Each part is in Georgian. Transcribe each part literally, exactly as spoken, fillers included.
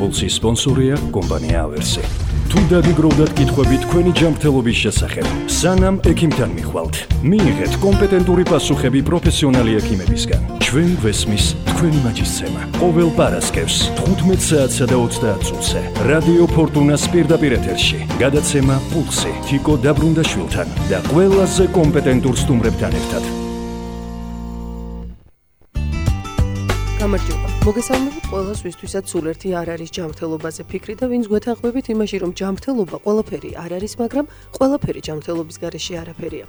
პულსის სპონსორია კომპანია ავერსი. თუ დაგიგროვდათ კითხვები თქვენი ჯანმრთელობის შესახებ, სანამ ექიმთან მიხვალთ, მიიღეთ კომპეტენტური პასუხები პროფესიონალი ექიმებისგან. ჩვენ გვესმის თქვენი მაჯისცემა. ყოველ პარასკევს თხუთმეტ საათსა და ოცდაათ წუთზე რადიო ფორტუნას პირდაპირ ეთერში გადაცემა პულსი თიკო დაბრუნდაშვილთან და ყველაზე კომპეტენტურ სტუმრებთან ერთად. გამარჯობა. მოგესალმებით ყველას, ვისთვისაც სულ ერთი არ არის ჯანმრთელობაზე ფიქრი და ვინც გვეთანხმებით იმაში, რომ ჯანმრთელობა ყველაფერი არ არის, მაგრამ ყველაფერი ჯანმრთელობის გარეშე არაფერია.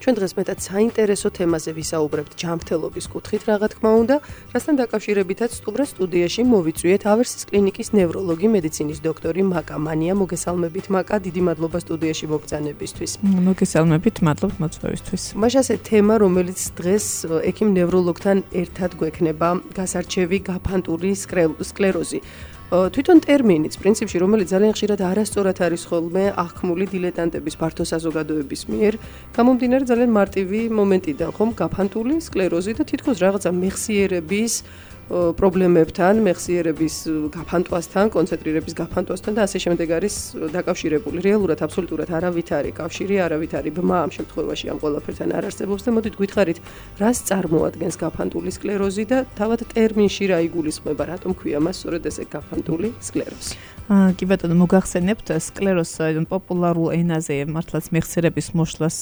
ჩვენ დღეს მეტად საინტერესო თემაზე ვისაუბრებთ ჯანმრთელობის კუთხით, რა თქმა უნდა, რასთან დაკავშირებითაც სტუმრად სტუდიაში მოვიწვიეთ ავერსის კლინიკის ნევროლოგი, მედიცინის დოქტორი მაკა მანია. მოგესალმებით მაკა, დიდი მადლობა სტუდიაში მოგბრძანებისთვის. მოგესალმებით, მადლობთ მოწვევისთვის. მაშასე თემა, რომელიც დღეს ექიმ ნევროლოგთან ერთად გვექნება, გასარჩევი გაფანტული სკლეროზი. თვითონ ტერმინიც, პრინციპში, რომელიც ძალიან ხშირად არასწორად არის ხოლმე აღქმული დილეტანტების ფართო საზოგადოების მიერ, გამომდინარე ძალიან მარტივი მომენტიდან, ხომ, გაფანტული სკლეროზი და თითქოს რაღაცა მეხსიერების პრობლემებთან, მეხსიერების გაფანტვასთან, კონცენტრირების გაფანტვასთან და ასე შემდეგ არის დაკავშირებული. რეალურად აბსოლუტურად არავით არის კავშირი, არავით არის ბმა ამ შემთხვევაში ამ ყველაფერთან არ არსებობს და მოდით გითხარით, რას წარმოადგენს გაფანტული სკლეროზი და თავად ტერმინში რა იგულისხმება, რატომ ქვია მას სწორედ ესე გაფანტული სკლეროზი. კი ბატონო, მოგახსენებთ სკლეროზს პოპულარულ ენაზე მართლაც მეხსიერების მოშლას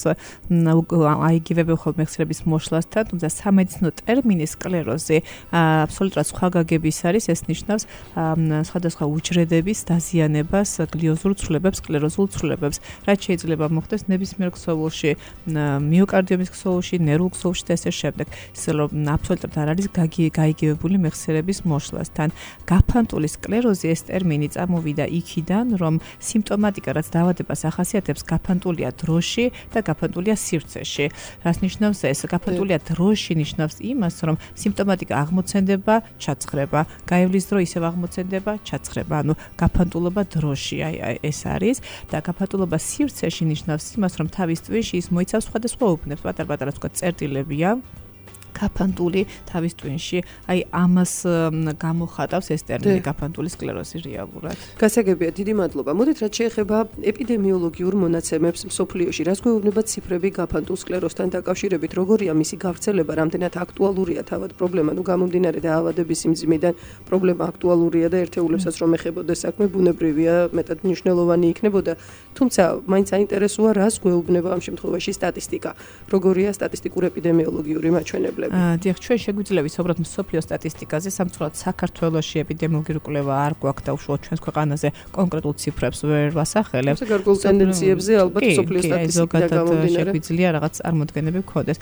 აიგივებენ ხოლმე მეხსიერების მოშლასთან, თუმცა სამედიცინო ტერმინი სკლეროზი აბსოლუტურად სხვა გაგების არის, ეს ნიშნავს სხვადასხვა უჯრედების დაზიანებას, გლიოზურ ცვლილებებს, სკლეროზულ ცვლილებებს, რაც შეიძლება მოხდეს ნებისმიერ ქსოვილში, მიოკარდიუმის ქსოვილში, ნერვულ ქსოვილში და ესე შემდეგ. ისე რომ აბსოლუტურად არ არის გაიგივებული მეხსიერების მოშლასთან. გაფანტული სკლეროზი ეს ტერმინი წამოვიდა იქიდან, რომ სიმპტომატიკა, რაც დაავადებას ახასიათებს, გაფანტულია დროში და გაფანტულია სივრცეში. რას ნიშნავს ეს? გაფანტულია დროში ნიშნავს იმას, რომ სიმპტომატიკა აღმოცენდება, ჩაცხრება, გაივლის დრო ისევ აღმოცენდება, ჩაცხრება. ანუ გაფანტულობა დროში, აი ეს არის და გაფანტულობა სივრცეში ნიშნავს იმას, რომ თავის ტვინში ის მოიცავს სხვადასხვა უბნებს, პატარ-პატარა თქვა წერტილებია. გაფანტული თავის ტვინში, აი ამას გამოხატავს ეს ტერმინი გაფანტული სკლეროზი რეალურად. გასაგებია, დიდი მადლობა. მოდით რაც შეეხება ეპიდემიოლოგიურ მონაცემებს მსოფლიოში, რას გვეუბნება ციფრები გაფანტულ სკლეროზთან დაკავშირებით, როგორია მისი გავრცელება, რამდენად აქტუალურია თავად პრობლემა, ნუ გამომდინარე დაავადების სიმძიმიდან პრობლემა აქტუალურია და ერთეულებსაც რომ ეხებოდეს საქმე, ბუნებრივია, მეტად მნიშვნელოვანი იქნებოდა. თუმცა, მაინც საინტერესოა, რას გვეუბნება ამ შემთხვევაში სტატისტიკა. როგორია სტატისტიკური ეპიდემიოლოგიური მაჩვენებლები. დიახ, ჩვენ შეგვიძლია ვისაუბროთ მსოფლიო სტატისტიკაზე, სამწუხაროდ საქართველოში ეპიდემიოლოგიური კვლევა არ გვაქვს და უშუალოდ ჩვენს ქვეყანაზე კონკრეტულ ციფრებს ვერ ვასახელებ. გარკვეულ ტენდენციებზე ალბათ მსოფლიო სტატისტიკა გამომდინარე. შეგვიძლია რაღაც წარმოდგენები გქონდეს.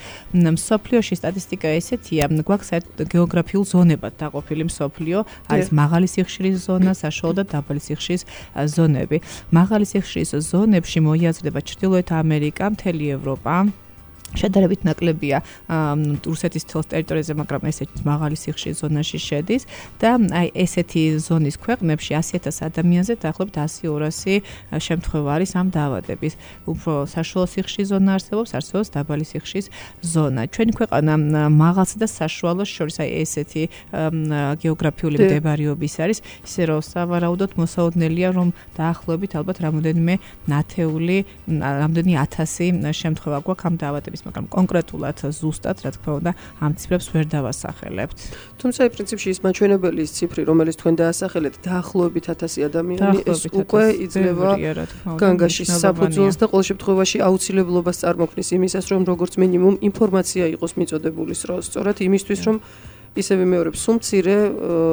მსოფლიოში სტატისტიკა ესეთია, გვაქვს გეოგრაფიულ ზონებად დაყოფილი მსოფლიო, არის მაღალი სიხშირის ზონა, საშუალო და დაბალი სიხშირის ზონები. მაღალი სიხშირის ზონებში მოიაზრდება ჩრდილოეთ ამერიკა, მთელი ევროპა. შედარებით ნაკლებია რუსეთის თელს ტერიტორიაზე, მაგრამ ესეთი მაღალი სიხშირის ზონაში შედის და აი ესეთი ზონის ქვეყნებში ასი ათას ადამიანზე დაახლოებით ასი ორასი შემთხვევა არის ამ დაავადების. უფრო საშუალო სიხშირის ზონა არსებობს, არსებობს დაბალი სიხშირის ზონა. ჩვენი ქვეყანა მაღალსა და საშუალოს შორის აი ესეთი გეოგრაფიული მდებარეობის არის, ისე რომ სავარაუდოდ მოსაოდნელია, რომ დაახლოებით ალბათ რამოდენიმე ნათეული, რამდენი ათასი შემთხვევა გვაქვს ამ დაავადების, მაგრამ კონკრეტულად ზუსტად, რა თქმა უნდა, ამ ციფრებს ვერ დავასახელებთ. თუმცა, პრინციპში ის მაჩვენებელი ის ციფრი, რომელიც თქვენ დაასახელეთ, დაახლოებით ათასი ადამიანი, ეს უკვე იძლევა განგაშის საფუძველს და ყოველ შემთხვევაში აუცილებლობას წარმოქმნის იმისას, რომ როგორც მინიმუმ ინფორმაცია იყოს მიწოდებული სწორად იმისთვის, რომ ისევე მეორე სუმცირე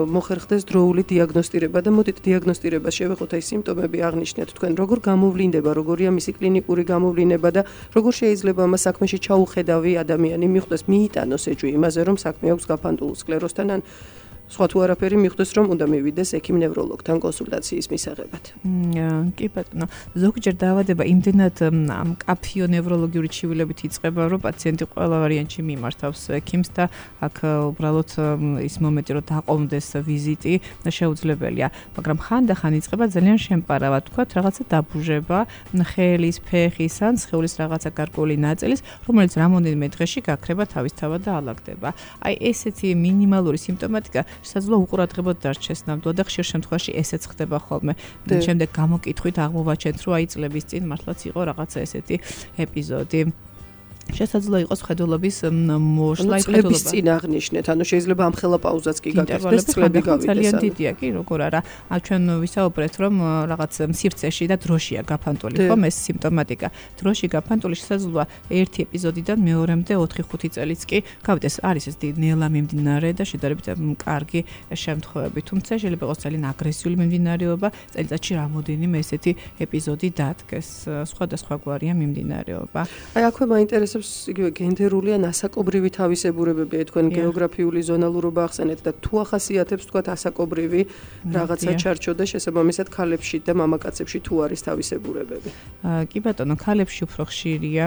მოხერხდეს დროული დიაგნოსტირება და მოდით დიაგნოსტირებას შევეხოთ აი სიმპტომები აღნიშნეთ თქვენ როგორ გამოვლინდება, როგორია მისი კლინიკური გამოვლინება და როგორ შეიძლება ამ საქმეში ჩაუხედავი ადამიანი მიხვდეს, მიიტანოს ეჭვი იმაზე, რომ საქმე აქვს გაფანტულ სკლეროზთან ან სხვა თუ არაფერი მიხვდეს, რომ უნდა მივიდეს ექიმ ნევროლოგთან კონსულტაციის მისაღებად. კი ბატონო, ზოგჯერ დაავადება იმდენად მკაფიო ნევროლოგიური ჩივილებით იწყება, რომ პაციენტი ყველა ვარიანტში მიმართავს ექიმს და აქ უბრალოდ ის მომენტი, რომ დაყომდეს ვიზიტი შეუძლებელია, მაგრამ ხანდახან იწყება ძალიან შემპარავად, თქვათ, რაღაცა დაბუჟება, ხელის, ფეხის ან სხეულის რაღაცა გარკვეული ნაწილის, რომელიც რამოდენიმე დღეში გაქრება თავისთავად და ალაგდება. აი ესეთი მინიმალური სიმპტომატიკა შესაძლოა უყურადღებოდ დარჩეს ნამდვილად და ხშირ შემთხვევაში ესეც ხდება ხოლმე. შემდეგ გამოკითხვით აღმოვაჩენთ, რომ აი წლების წინ მართლაც იყო რაღაცა ესეთი ეპიზოდი. შესაძლოა იყოს ხედულობის მოშლა წლების წინ აღნიშნეთ, ანუ შეიძლება ამ ხელა პაუზაც კი გაკეთდეს, წლები გავიდეს. ძალიან დიდია კი, როგორ არა. ჩვენ ვისაუბრეთ, რომ რაღაც სივრცეში და დროშია გაფანტული, ხომ ეს სიმპტომატიკა. დროში გაფანტული შესაძლოა ერთი ეპიზოდიდან მეორემდე ოთხი ხუთი წელიც კი გავიდეს. არის ეს ნელა მიმდინარე და შედარებით კარგი შემთხვევები, თუმცა შეიძლება იყოს ძალიან აგრესიული მიმდინარეობა, წელიწადში რამოდენიმე ესეთი ეპიზოდი დადგეს. სხვადასხვაგვარია მიმდინარეობა. აი აქვე მაინტერესებს იგივე გენდერული ან ასაკობრივი თავისებურებები, აი თქვენ გეოგრაფიული ზონალურობა ახსენეთ და თუ ახასიათებს თქვათ ასაკობრივი რაღაცა ჩარჩო და შესაბამისად ქალებში და მამაკაცებში თუ არის თავისებურებები. კი ბატონო, ქალებში უფრო ხშირია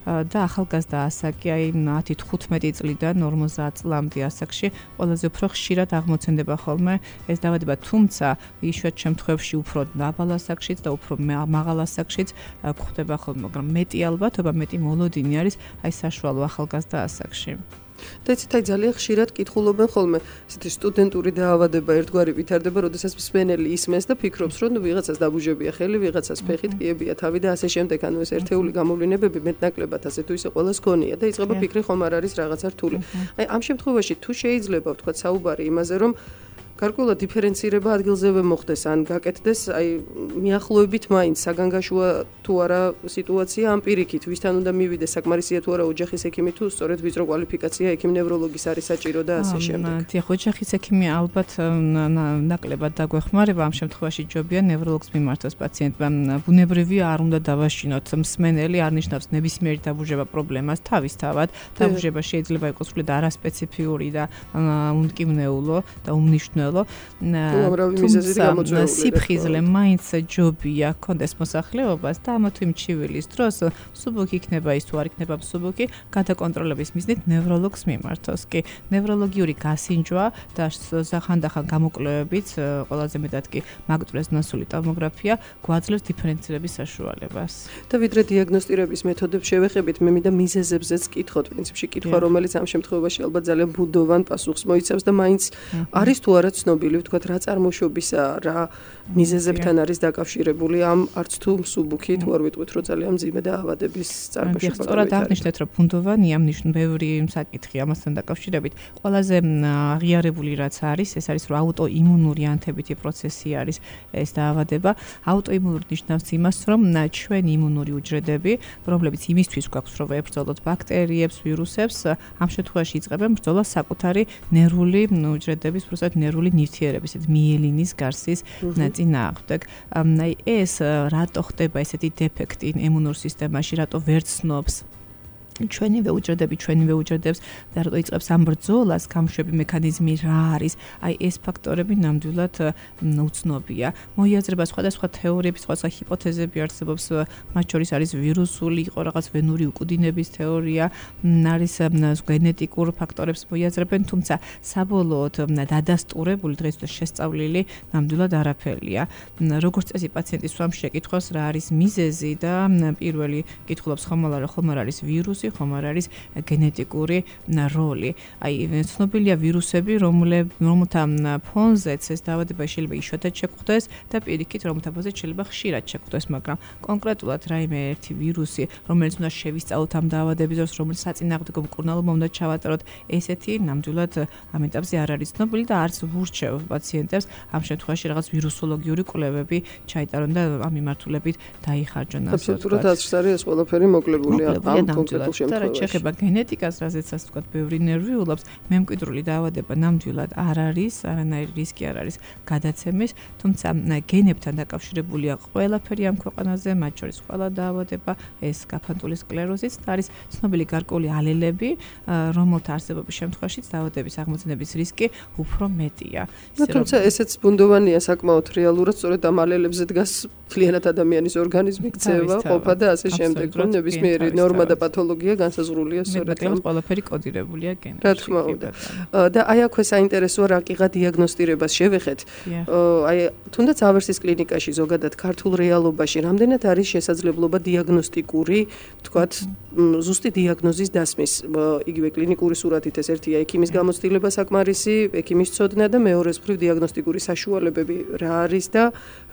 და ახალგაზრდა ასაკი, აი ათი თხუთმეტი წლიდან ორმოცდაათ წლამდე ასაკში ყველაზე უფრო ხშირად აღმოცენდება ხოლმე ეს დაავადება, თუმცა იშვიათ შემთხვევებში უფრო დაბალ ასაკშიც და უფრო მაღალ ასაკშიც გვხვდება ხოლმე, მაგრამ მეტი ალბათობა, მეტი მოლოდინი არის აი საშუალო ახალგაზრდა ასაკში. და იცით, აი ძალიან ხშირად კითხულობენ ხოლმე, ესეთი სტუდენტური დაავადება ერთგვარი ვითარდება, როდესაც მსმენელი ისმენს და ფიქრობს, რომ ვიღაცას დაბუჟებია ხელი, ვიღაცას ფეხით კიებია თავი და ასე შემდეგ, ანუ ეს ერთეული გამოვლენებები მეტნაკლებად ასე თუ ისე ყველას გონია და იწყება ფიქრი, ხომ არ არის რაღაცა რთული. აი ამ შემთხვევაში თუ შეიძლება ვთქვათ საუბარი იმაზე, რომ გარკვეულად დიფერენცირება ადგილზევე მოხდეს ან გაკეთდეს, აი მიახლოებით მაინც საგანგაშოა თუ არა სიტუაცია ამ პირიქით, ვისთან უნდა მივიდეს, საკმარისია თუ არა ოჯახის ექიმი თუ სწორედ ვიწრო კვალიფიკაცია ექიმ ნევროლოგის არის საჭირო და ასე შემდეგ. დიახ, ოჯახის ექიმი ალბათ ნაკლებად დაგვეხმარება, ამ შემთხვევაში ჯობია ნევროლოგს მიმართოს პაციენტმა. ბუნებრივია არ უნდა დავაშინოთ, მსმენელი არ ნიშნავს ნებისმიერი დაბუჟება პრობლემას, თავისთავად დაბუჟება შეიძლება იყოს სრულად არასპეციფიური და უმკივნეულო და უმნიშვნელო თუმცა სიფხიზლე მაინც ჯობია კონდეს მოსახლეობას და ამა თუ იმ ჩივილის დროს სუბუქი იქნება ის თუ არ იქნება სუბუქი გადაკონტროლების მიზნით ნევროლოგს მიმართოს. კი, ნევროლოგიური გასინჯვა და ხანდახან გამოკვლევებით ყველაზე მეტად კი მაგნიტურეზონანსული ტომოგრაფია გვაძლევს დიფერენცირების საშუალებას. და ვიდრე დიაგნოსტირების მეთოდებს შევეხებით, მე მინდა მიზეზებზეც კითხოთ, პრინციპში კითხვა, რომელიც ამ შემთხვევაში ალბათ ძალიან ბუდოვან პასუხს მოიცავს და მაინც არის თუ არა ცნობილი, ვთქვათ, რა წარმოშობისა, რა მიზეზებთან არის დაკავშირებული ამ არც თუ მსუბუქი, თუ არ ვიტყვით, რომ ძალიან მძიმე დაავადების წარმოშობა. სწორად აღნიშნეთ, რომ ბუნდოვანია მნიშვნელოვანი ბევრი საკითხი ამასთან დაკავშირებით. ყველაზე აღიარებული რაც არის, ეს არის, რომ აუტოიმუნური ანთებითი პროცესი არის ეს დაავადება. აუტოიმუნური ნიშნავს იმას, რომ ჩვენი იმუნური უჯრედები, რომლებიც იმისთვის გვაქვს, რომ ვებრძოლოთ ბაქტერიებს, ვირუსებს, ამ შემთხვევაში იწყებენ ბრძოლას საკუთარი ნერვული უჯრედების, პროსტატ ნერვული ნივთიერების, ეს მიელინის გარსის წინააღმდეგ. აი ეს რატო ხდება ესეთი დეფექტი იმუნურ სისტემაში, რატო ვერ ცნობს ჩვენივე უჯრედები, ჩვენივე უჯრედებს და რატო იწყებს ამ ბრძოლას, გამშვები მექანიზმი რა არის, აი ეს ფაქტორები ნამდვილად უცნობია. მოიაზრება სხვადასხვა თეორიები, სხვადასხვა ჰიპოთეზები არსებობს, მათ შორის არის ვირუსული, იყო რაღაც ვენური უკუდინების თეორია, არის გენეტიკურ ფაქტორებს მოიაზრებენ, თუმცა საბოლოოდ დადასტურებული დღეისათვის შესწავლილი ნამდვილად არაფერია. როგორც წესი პაციენტი სვამში ეკითხავს რა არის მიზეზი და პირველი კითხულობს ხომ არა, ხომ არ არის ვირუსი, ხომ არ არის გენეტიკური როლი. აი ცნობილია ვირუსები, რომელთა ფონზეც ეს დაავადება შეიძლება იშვიათად შეგვხვდეს და პირიქით რომელთა ფონზეც შეიძლება ხშირად შეგვხვდეს, მაგრამ კონკრეტულად რაიმე ერთი ვირუსი, რომელიც უნდა შევისწავლოთ ამ დაავადების დროს, რომელიც საწინააღმდეგო მკურნალობა უნდა ჩავატაროთ, ესეთი ნამდვილად ამ ეტაპზე არ არის ცნობილი და არც ვურჩევ პაციენტებს ამ შემთხვევაში რაღაც ვირუსოლოგიური კვლევები ჩაიტარონ და ამ მიმართულებით დაიხარჯონ. აბსოლუტურად აზრს არის ეს ყველაფერი მოკლებულია ამ კონკრეტულ და რაც შეეხება გენეტიკას, რაზეცაც თქვა ბევრი ნერვიულობს, მემკვიდრული დაავადება ნამდვილად არ არის, არანაირი რისკი არ არის გადაცემის, თუმცა გენებთან დაკავშირებულია ყველაფერი ამ ქვეყანაზე, მათ შორის ყველა დაავადება, ეს გაფანტული სკლეროზიც და არის ცნობილი გარკვეული ალელები, რომელთა არსებობის შემთხვევაშიც დაავადების აღმოცენების რისკი უფრო მეტია. თუმცა ესეც ბუნდოვანია საკმაოდ რეალურად, სწორედ ამ ალელებზე დგას მთლიანად ადამიანის ორგანიზმი, ქცევა, ყოფა და ასე შემდეგ, რომ ნებისმიერი ნორმა და პათოლოგია განსაზღვრულია, განსაზღვრულია სწორედ ამ ყველაფერი კოდირებულია გენებში. რა თქმა უნდა. და აი აქვე საინტერესოა რა კიღა დიაგნოსტირებას შევეხეთ. აი თუნდაც ავერსის კლინიკაში ზოგადად ქართულ რეალობაში რამდენად არის შესაძლებლობა დიაგნოსტიკური, ვთქვათ, ზუსტი დიაგნოზის დასმის. იგივე კლინიკური სურათით ეს ერთია ექიმის გამოცდილება საკმარისი, ექიმის ცოდნა და მეორეს მხრივ დიაგნოსტიკური საშუალებები რა არის და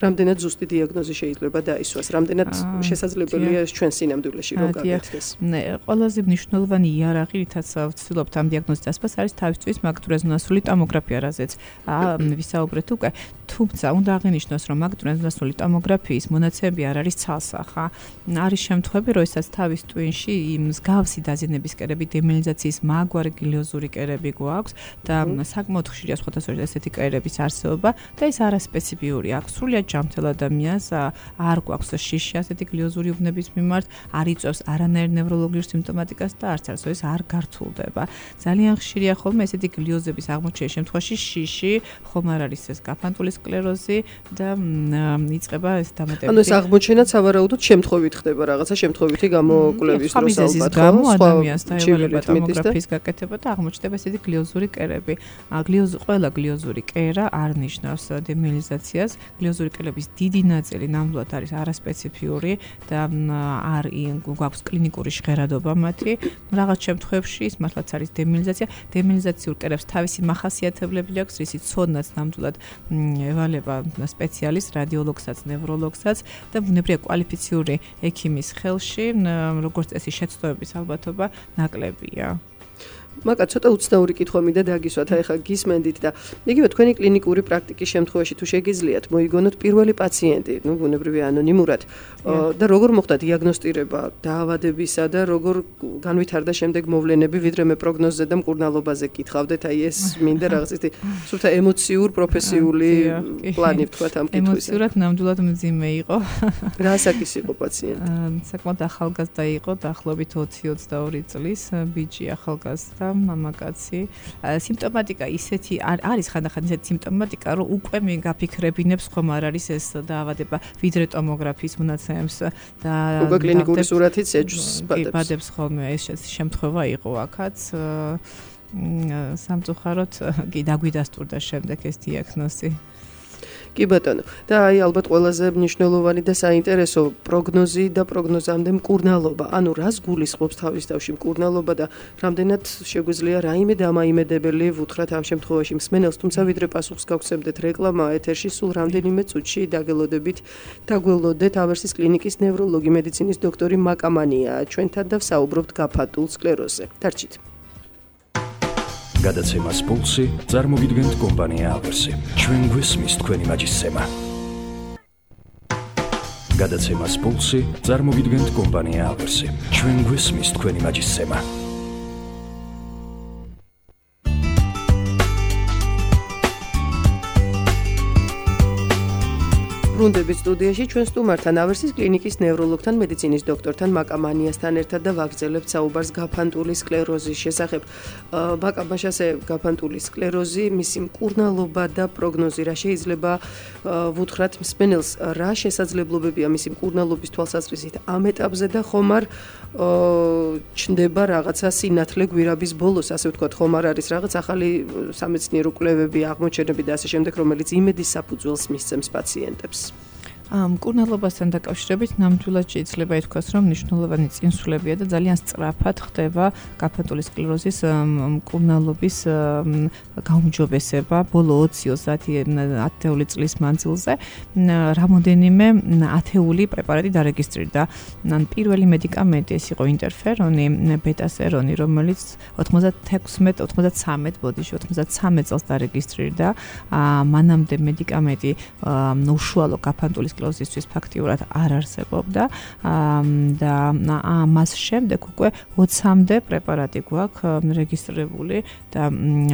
რამდენად ზუსტი დიაგნოზი შეიძლება დაისვას, რამდენად შესაძლებელია ეს ჩვენ სინამდვილეში რომ გაგეთქეს. ნე, ყველაზე მნიშვნელოვანი იარაღი, რითაც ვცდილობთ ამ დიაგნოზის დასმას, არის თავისთვის მაგნიტურეზონანსული ტომოგრაფია, რაზეც ვისაუბრეთ უკვე. თუმცა უნდა აღინიშნოს, რომ მაგნიტურეზონანსული ტომოგრაფიის მონაცემები არ არის ცალსახა. არის შემთხვევები, როდესაც თავის ტვინში მსგავსი დაზიანების კერები, დემილინიზაციის მაგვარი გლიოზური კერები გვაქვს და საკმაოდ ხშირია სხვადასხვა ესეთი კერების არსებობა და ეს არასპეციფიური აქვს. სრულიად ჯანმრთელ ადამიანს არ გვაქვს შიში ასეთი გლიოზური უბნების მიმართ, არ იწვევს არანაირ ნევროლოგიურ სიმპტომატიკას და არც არც ეს არ გართულდება. ძალიან ხშირია ხოლმე ესეთი გლიოზების აღმოჩენის შემთხვევაში შიში, ხომ არ არის ეს გაფანტული სკლეროზი და იწყება ეს დამატებითი. ანუ ეს აღმოჩენაც ავარაუდოდ შემთხვევით ხდება, რაღაცა შემთხვევითი გამოკვლევის დროს ალბათ ხო, ადამიანს დაევალება ტომოგრაფიის გაკეთება და აღმოჩნდება ესეთი გლიოზური კერები. გლიოზ ყველა გლიოზური კერა არ ნიშნავს დემილინიზაციას. გლიოზური კერების დიდი ნაწილი ნამდვილად არის არასპეციფიური და არ გვაქვს კლინიკური ჟღერადობა მათი. რაღაც შემთხვევებში ის მართლაც არის დემილინიზაცია. დემილინიზაციურ კერებს თავისი მახასიათებლები აქვს, რისი ცოდნაც ნამდვილად ევალება სპეციალისტ, რადიოლოგსაც, ნევროლოგსაც და ბუნებრივია კვალიფიციური ექიმის ხელში, როგორც წესი შეცდომების ალბათობა ნაკლებია. მაგა ცოტა უცნაური კითხვა მინდა დაგისვათ, აი ხა გისმენდით და იგივე თქვენი კლინიკური პრაქტიკის შემთხვევაში თუ შეგიძლიათ მოიგონოთ პირველი პაციენტი, ნუ ბუნებრივია ანონიმურად და როგორ მოხდა დიაგნოსტირება დაავადებისა და როგორ განვითარდა შემდეგ მოვლენები, ვიდრე მე პროგნოზზე და მკურნალობაზე კითხავდეთ, აი ეს მინდა რაღაც ისეთი სულთა ემოციურ, პროფესიული პლანი ვთქვათ ამ კითხვაზე. ემოციურად ნამდვილად მძიმე იყო. რა საკის იყო პაციენტი? საკმაოდ ახალგაზრდა იყო, დაახლოებით ოცი ოცდაორი წლის ბიჭი ახალგაზრდა. მამაკაცი. სიმპტომატიკა ისეთი არის ხანდახან ისეთი სიმპტომატიკა, რომ უკვე მე გაფიქრებინებს ხომ არ არის ეს დაავადება ვიდრე ტომოგრაფიის მონაცემებს და უკვე კლინიკური სურათიც ეჯს ბადებს. ბადებს ხოლმე ეს შემთხვევა იყო აქაც. სამწუხაროდ კი დაგვიდასტურდა შემდეგ ეს დიაგნოზი. კი ბატონო. და აი ალბათ ყველაზე მნიშვნელოვანი და საინტერესო პროგნოზი და პროგნოზამდე მკურნალობა. ანუ რას გულისხმობს თავის თავში მკურნალობა და რამდენად შეგვიძლია რაიმე დამაიმედებელი ვუთხრათ ამ შემთხვევაში მსმენელს, თუმცა ვიდრე პასუხს გავგზავნეთ რეკლამა ეთერში, სულ რამდენიმე წუთში დაგელოდებით, დაგველოდეთ ავერსის კლინიკის ნევროლოგი, მედიცინის დოქტორი მაკამანია ჩვენთან და ვსაუბრობთ გაფანტულ სკლეროზზე. დარჩით. გადაცემას პულსი წარმოგიდგენთ კომპანია ავერსი. ჩვენ გვესმის თქვენი მაჯისცემა. გადაცემას პულსი წარმოგიდგენთ კომპანია ავერსი. ჩვენ გვესმის თქვენი მაჯისცემა. ბრუნდებით სტუდიაში ჩვენ სტუმართან ავერსის კლინიკის ნევროლოგთან, მედიცინის დოქტორთან მაკამანიასთან ერთად და ვაგრძელებთ საუბარს გაფანტული სკლეროზის შესახებ. მაკამაშ ასე გაფანტული სკლეროზი, მისი მკურნალობა და პროგნოზი რა შეიძლება ვუთხრათ მსმენელს, რა შესაძლებლობებია მისი მკურნალობის თვალსაზრისით ამ ეტაპზე და ხომ არ ჩნდება რაღაცა სინათლე გვირაბის ბოლოს, ასე ვთქვათ, ხომ არ არის რაღაც ახალი სამეცნიერო კვლევები, აღმოჩენები და ასე შემდეგ, რომელიც იმედის საფუძველს მისცემს პაციენტებს. მკურნალობასთან დაკავშირებით ნამდვილად შეიძლება ითქვას, რომ მნიშვნელოვანი წინსვლებია და ძალიან სწრაფად ხდება გაფანტული სკლეროზის მკურნალობის გაუმჯობესება ბოლო ოცი ათეული წლის მანძილზე. რამოდენიმე ათეული პრეპარატი დარეგისტრირდა. პირველი მედიკამენტი ეს იყო ინტერფერონი, ბეტასერონი, რომელიც ოთხმოცდათექვსმეტ ოცდათსამეტ ბოდიში ოცდათსამეტ წელს დარეგისტრირდა. მანამდე მედიკამენტი უშუალო გაფანტული სკლეროზისთვის ფაქტიურად არ არსებობდა და მას შემდეგ უკვე ოცამდე პრეპარატი გვაქვს რეგისტრირებული და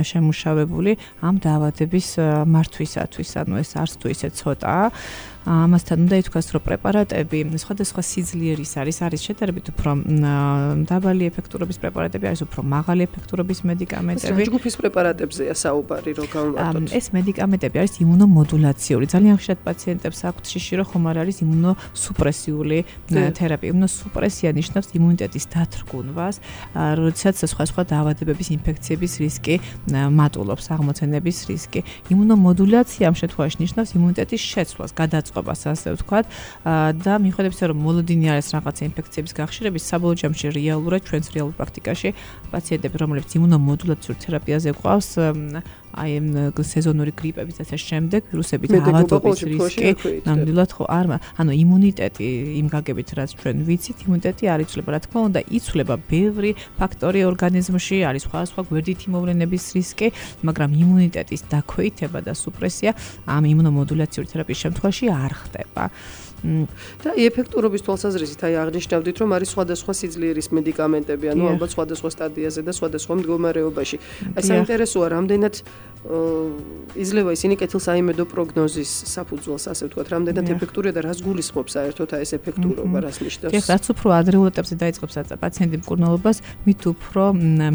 შემუშავებული ამ დაავადების მართვისათვის. ანუ ეს არც თუ ისე ცოტაა. ამასთან უნდა ითქვას, რომ პრეპარატები სხვადასხვა სიძლიერის არის, არის შედარებით უფრო დაბალი ეფექტურობის პრეპარატები, არის უფრო მაღალი ეფექტურობის მედიკამენტები. რა ჯგუფის პრეპარატებზეა საუბარი, რომ გავმართოთ? ეს მედიკამენტები არის იმუნომოდულაციური. ძალიან ხშირად პაციენტებს აქვთ შიში, რომ ხომ არ არის იმუნოსუპრესიული თერაპია. იმუნოსუპრესია ნიშნავს იმუნიტეტის დათრგუნვას, როდესაც სხვა სხვა დაავადებების ინფექციების რისკი მატულობს, აღმოცენების რისკი. იმუნომოდულაცია ამ შემთხვევაში ნიშნავს იმუნიტეტის შეცვლას, გადაწყობას, ასე ვთქვათ, და მიუხედავად იმისა, რომ მოლოდინი არის რაღაცა ინფექციების გახშირების, საბოლოო ჯამში რეალურად ჩვენს რეალურ პრაქტიკაში პაციენტები, რომლებიც იმუნომოდულაციურ თერაპიაზე ყავს, აი სეზონური გრიპების და ამ შემდეგ ვირუსებით ავადობის რისკი ნამდვილად ხო არ ანუ იმუნიტეტი იმ გაგებით რაც ჩვენ ვიცით იმუნიტეტი არ იცვლება რა თქმა უნდა იცვლება ბევრი ფაქტორი ორგანიზმში არის სხვა სხვა გვერდითი მოვლენების რისკი მაგრამ იმუნიტეტის დაქვეითება და სუპრესია ამ იმუნომოდულაციური თერაპიის შემთხვევაში არ ხდება და ეფექტურობის თვალსაზრისით აი აღნიშნავდით რომ არის სხვადასხვა სიძლიერის მედიკამენტები ანუ ალბათ სხვადასხვა სტადიაზე და სხვადასხვა მდგომარეობაში აი საინტერესოა რამდენად იძლევა ისინი კეთილსაიმედო პროგნოზის საფუძველს ასე ვთქვათ რამდენად ეფექტურია და რას გულისხმობს საერთოდ აი ეს ეფექტურობა რას ნიშნავს ეს რაც უფრო ადრეულ ეტაპზე დაიწყებს პაციენტი მკურნალობას მით უფრო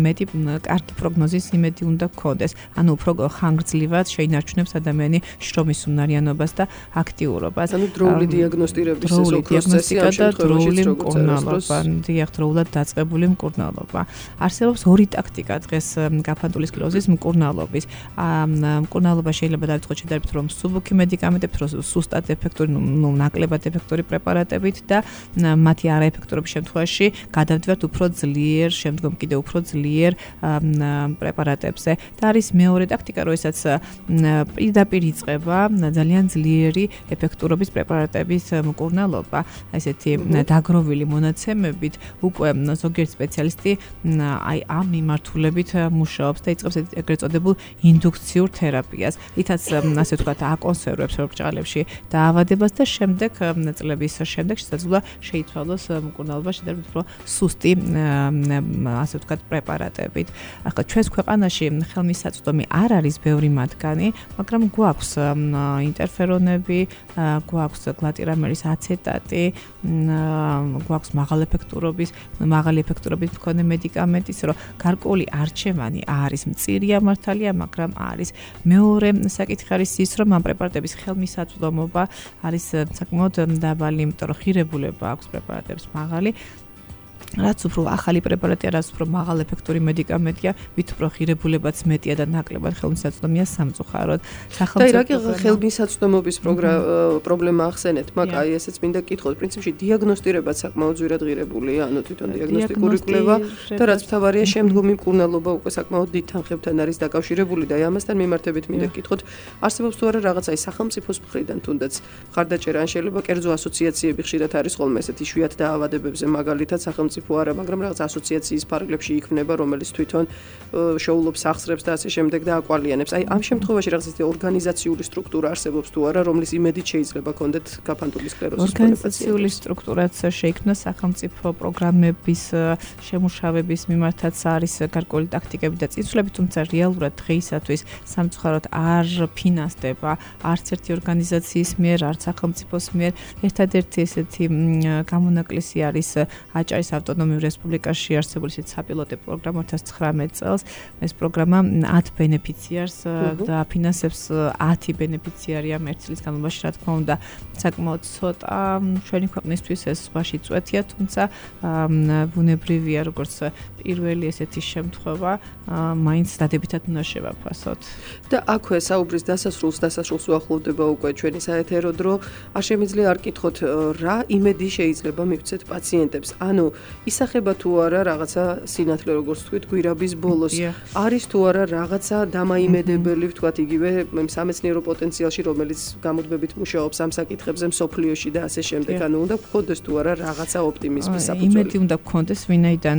მეტი კარგი პროგნოზის იმედი უნდა გქონდეს ანუ უფრო ხანგრძლივად შეინარჩუნებს ადამიანი შრომის უნარიანობას და აქტიურობას ანუ დროული დიაგნოსტირების ეს პროცესი ამ შემთხვევაში მკურნალობა დიახ დროულად დაწყებული მკურნალობა არსებობს ორი ტაქტიკა დღეს გაფანტული სკლეროზის მკურნალობის მკურნალობა შეიძლება დავიწყოთ შედარებით რომ სუბუქი მედიკამენტებით რომ სუსტად ეფექტური ნუ ნაკლებად ეფექტური პრეპარატებით და მათი არაეფექტურობის შემთხვევაში გადავდივართ უფრო ძლიერ შემდგომ კიდევ უფრო ძლიერ პრეპარატებზე და არის მეორე ტაქტიკა როდესაც პირდაპირ იწყება ძალიან ძლიერი ეფექტურობის პრეპარატების მკურნალობა ესეთი დაგროვილი მონაცემებით უკვე ზოგიერთ სპეციალისტი აი ამ მიმართულებით მუშაობს და იწყებს ეგრეთ წოდებულ ინდუქციურ თერაპიას, რითაც ასე ვთქვათ, აკონსერვებს ორგანიზმში დაავადებას და შემდეგ წლების შემდეგ შესაძლოა შეიცვალოს მკურნალობა შედარებით უფრო სუსტი ასე ვთქვათ პრეპარატებით. ახლა ჩვენს ქვეყანაში ხელმისაწვდომი არ არის ბევრი მათგანი, მაგრამ გვაქვს ინტერფერონები, გვაქვს გლატირამერის აცეტატი, გვაქვს მაღალეფექტურობის, მაღალი ეფექტურობით მქონე მედიკამენტის, რომ გარკვეული არჩევანი არის მწირია მართალია, მაგრამ არის მეორე საკითხი არის ის, რომ ამ პრეპარატების ხელმისაწვდომობა არის საკმაოდ დაბალი, იმიტომ რომ ღირებულება აქვს პრეპარატებს მაღალი. რაც უფრო ახალი პრეპარატია, რაც უფრო მაღალეფექტური მედიკამენტია, მით უფრო ღირებულებაც მეტია და ნაკლებად ხელმისაწვდომია სამწუხაროდ. და რა კი ხელმისაწვდომობის პრობლემა ახსენეთ, მაგრამ აი ესეც მინდა კითხოთ, პრინციპში დიაგნოსტირებაც საკმაოდ ძვირად ღირებულია, ანუ თვითონ დიაგნოსტიკური კვლევა და რაც მთავარია შემდგომი მკურნალობა უკვე საკმაოდ დიდ თანხებთან არის დაკავშირებული და აი ამასთან მიმართებით მინდა კითხოთ, არსებობს თუ არა რაღაც აი სახელმწიფოს მხრიდან თუნდაც მხარდაჭერა ან შეიძლება კერძო ასოციაციები ხშირად არის ხოლმე ესეთი იშვიათ დაავადებებზე მაგალითად სახელმწიფო არა, მაგრამ რაღაც ასოციაციის ფარგლებში იქმნება, რომელიც თვითონ შოულობს სახსრებს და ასე შემდეგ და აკვალიანებს. აი ამ შემთხვევაში რაღაც ისეთი ორგანიზაციული სტრუქტურა არსებობს თუ არა, რომლის იმედით შეიძლება კონდეთ გაფანტული სკლეროზის ორგანიზაციული სტრუქტურაც შეიქმნა სახელმწიფო პროგრამების შემუშავების მიმართაც არის გარკვეული ტაქტიკები და წინსვლები, თუმცა რეალურად დღეისათვის სამწუხაროდ არ ფინანსდება არც ერთი ორგანიზაციის მიერ, არც სახელმწიფოს მიერ. ერთადერთი ესეთი გამონაკლისი არის აჭარის ავტონომიურ რესპუბლიკაში არსებული ისეთ საპილოტო პროგრამა ორი ათას ცხრამეტ წელს. ეს პროგრამა ათ ბენეფიციარს და ფინანსებს ათი ბენეფიციარია ერთი წლის განმავლობაში, რა თქმა უნდა, საკმაოდ ცოტა ჩვენი ქვეყნისთვის ეს ზღვაში წვეთია, თუმცა ბუნებრივია, როგორც პირველი ესეთი შემთხვევა, მაინც დადებითად უნდა შევაფასოთ. და აქვე საუბრის დასასრულს, დასასრულს უახლოვდება უკვე ჩვენი საეთერო დრო. არ შემიძლია არ კითხოთ, რა იმედი შეიძლება მივცეთ პაციენტებს? ანუ ისახება თუ არა რაღაცა სინათლე როგორც თქვით გვირაბის ბოლოს არის თუ არა რაღაცა დამაიმედებელი ვთქვათ იგივე სამეცნიერო პოტენციალში რომელიც გამოძბებით მუშაობს ამ საკითხებზე მსოფლიოში და ასე შემდეგ ანუ უნდა გქონდეს თუ არა რაღაცა ოპტიმიზმის საფუძველი იმედი უნდა გქონდეს ვინაიდან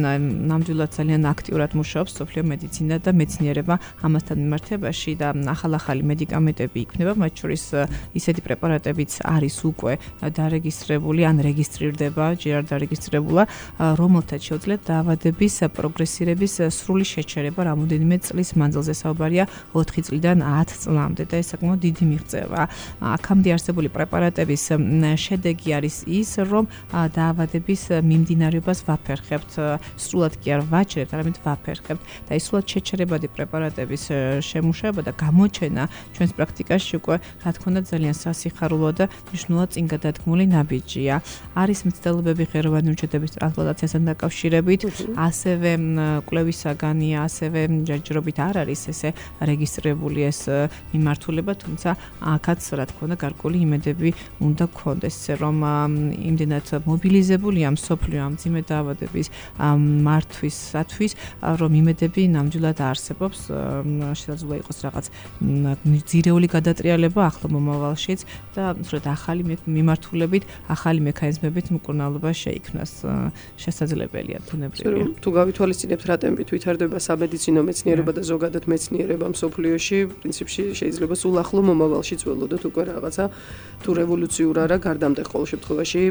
ნამდვილად ძალიან აქტიურად მუშაობს მსოფლიო მედიცინა და მეცნიერება ამასთან მიმართებაში და ახალ-ახალი მედიკამენტები იქმნება მათ შორის ისეთი პრეპარატებიც არის უკვე დარეგისტრირებული ან რეგისტრირდება ჯერ არ დარეგისტრირებულა რომელთაც შეუძლიათ დაავადების პროგრესირების სრული შეჩერება რამოდენიმე წლის მანძილზე. საუბარია ოთხი წლიდან ათ წლამდე და ეს საკმაოდ დიდი მიღწევა. აქამდე არსებული პრეპარატების შედეგი არის ის, რომ დაავადების მიმდინარეობას ვაფერხებთ, სრულად კი არ ვაჩერებთ, არამედ ვაფერხებთ და ის სრულად შეჩერებადი პრეპარატების შემუშავება და გამოჩენა ჩვენს პრაქტიკაში უკვე რა თქმა უნდა ძალიან სასიხარულო და მნიშვნელოვნად წინ გადადგმული ნაბიჯია. არის მცდელობები ღეროვანი უჯრედების ტრანსპლანტაციასთან დაკავშირებით, ასევე კვლევის საგანია, ასევე ჯერჯერობით არ არის ესე რეგისტრირებული ეს მიმართულება, თუმცა აქაც რა თქმა უნდა გარკვეული იმედები უნდა გქონდეს, რომ იმდენად მობილიზებულია მსოფლიო ამ მძიმე დაავადების მართვისათვის, რომ იმედები ნამდვილად არსებობს, შესაძლოა იყოს რაღაც ძირეული გადატრიალება ახლო მომავალშიც და სწორედ ახალი მიმართულებით, ახალი მექანიზმებით მკურნალობა შეიქმნას შესაძლებელია ბუნებრივია. თუ გავითვალისწინებთ რა ტემპით ვითარდება სამედიცინო მეცნიერება და ზოგადად მეცნიერება მსოფლიოში, პრინციპში შეიძლება სულ ახლო მომავალშიც ველოდოთ უკვე რაღაცა თუ რევოლუციურ არა გარდამტეხ ყოველ შემთხვევაში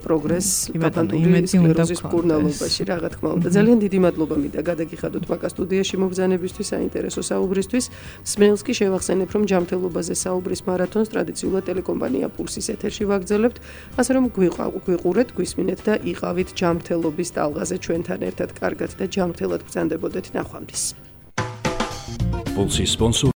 პროგრესს გაფანტული სკლეროზის მკურნალობაში, რა თქმა უნდა. ძალიან დიდი მადლობა მინდა გადაგიხადოთ მაგა სტუდიაში მოგზანებისთვის, საინტერესო საუბრისთვის. მსმენელს კი შევახსენებ, რომ ჯანმრთელობაზე საუბრის მარათონს ტრადიციულად ტელეკომპანია პულსის ეთერში ვაგრძელებთ, ასე რომ გვიყურეთ, გვისმინეთ და იყავით ჯანმრთელობის ტალღაზე ჩვენთან ერთად კარგად და ჯანმრთელად ბრძანდებოდეთ ნახვამდის. პულსის სპონსორ